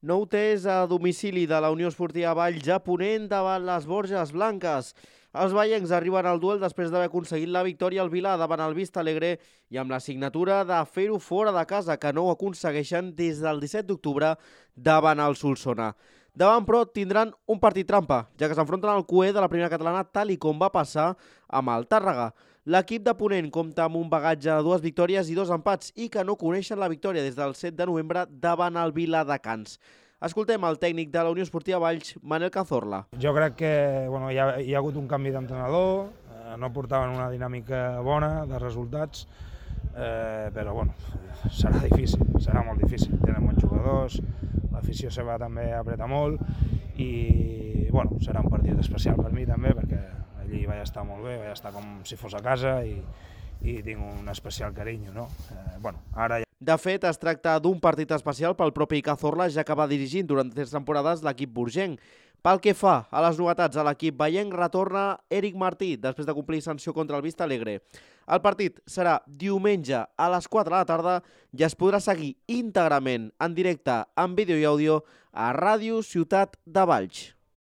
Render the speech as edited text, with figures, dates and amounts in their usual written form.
Nou test a domicili de la Unió Esportiva Valls a Ponent davant les Borges Blanques. Els vallencs arriben al duel després d'haver aconseguit la victòria al Vilar davant el Vista Alegre i amb la signatura de fer-ho fora de casa, que no ho aconsegueixen des del 17 d'octubre davant el Solsona. Davant, però, tindran un partit trampa, ja que s'enfronten al cuer de la primera catalana tal i com va passar amb el Tàrrega. L'equip de Ponent compta amb un bagatge de 2 victòries i 2 empats i que no coneixen la victòria des del 7 de novembre davant el Viladecans. Escoltem el tècnic de la Unió Esportiva Valls, Manel Cazorla. Jo crec que hi ha hagut un canvi d'entrenador, no portaven una dinàmica bona de resultats, però serà difícil, serà molt difícil. Tenen bons jugadors, l'afició seva també apreta molt i serà un partit especial per mi també perquè allí vaig estar molt bé, vaig estar com si fos a casa i tinc un especial carinyo, no? Ara ja... De fet, es tracta d'un partit especial pel propi Cazorla, ja que va dirigint durant 3 temporades l'equip burgenc. Pel que fa a les novetats a l'equip vallenc, retorna Eric Martí després de complir sanció contra el Vista Alegre. El partit serà diumenge a les 4 de la tarda i es podrà seguir íntegrament en directe, en vídeo i àudio, a Ràdio Ciutat de Valls.